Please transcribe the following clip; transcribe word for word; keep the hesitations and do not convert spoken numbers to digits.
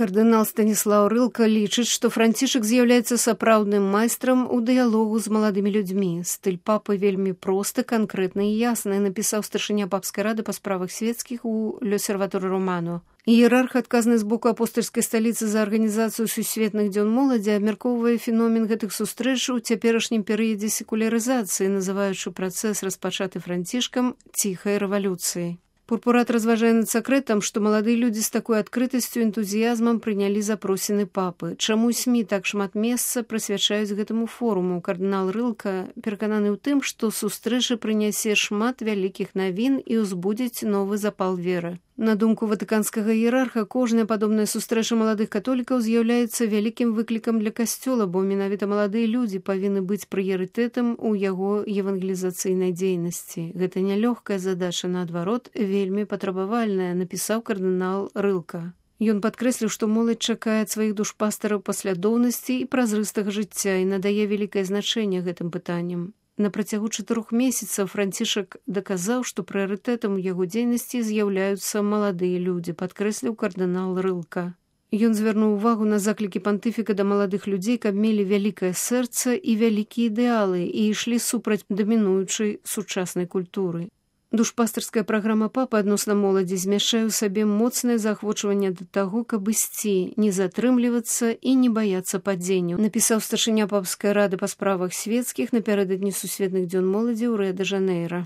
Кардынал Станіслаў Рылка лічыць, што Францішак з'яўляецца сапраўдным майстрам у дыялогу з маладымі людзьмі. Стыль папы вельмі просты, канкрэтны і ясны, напісаў старшыня папскай рады па справах свецкіх у L'Osservatore Romano. Іерарх, адказны з боку апостальскай сталіцы за арганізацыю сусветных дзён моладзі, абмяркоўвае феномен гэтых сустрэч у цяперашнім перыядзе секулярызацыі, называючы працэс, распачаты Францішкам, ціхай рэвалюцыяй. Пурпурат разважае над сакрэтам, што маладыя людзі з такой адкрытасцю і энтузіязмам прынялі запросіны папы. Чаму СМІ так шмат месца прысвячаюць гэтаму форуму? Кардынал Рылка перакананы ў тым, што сустрэча прынясе шмат вялікіх навін і ўзбудзіць новы запал веры. На думку ватыканскага іерарха, кожная падобная сустрэча маладых католікаў з'яўляецца вялікім выклікам для касцёла, бо менавіта маладыя людзі павінны быць прыярытэтам у яго евангелізацыйнай дзейнасці. Гэта нялёгкая задача, наадварот, вельмі патрабавальная, напісаў кардынал Рылка. Ён падкрэсліў, што моладзь чакае ад сваіх душпастараў паслядоўнасці і празрыстага жыцця і надае вялікае значэнне гэтым пытанням. На працягу чатырох месяцаў Францішак даказаў, што прыярытэтам у яго дзейнасці з'яўляюцца маладыя людзі, падкрэсліў кардынал Рылка. Ён звярнуў увагу на заклікі пантыфіка да маладых людзей, каб мелі вялікае сэрца і вялікія ідэалы і ішлі супраць дамінуючай сучаснай культуры. Душпастарская праграма папы адносна моладзі змяшчае ў сабе моцнае заахвочванне да таго, каб ісці, не затрымлівацца і не баяцца падзенняў, напісаў старшыня папскай рады па справах свецкіх напярэдадні сусветных дзён моладзі ў Рыа-дэ-Жанейра.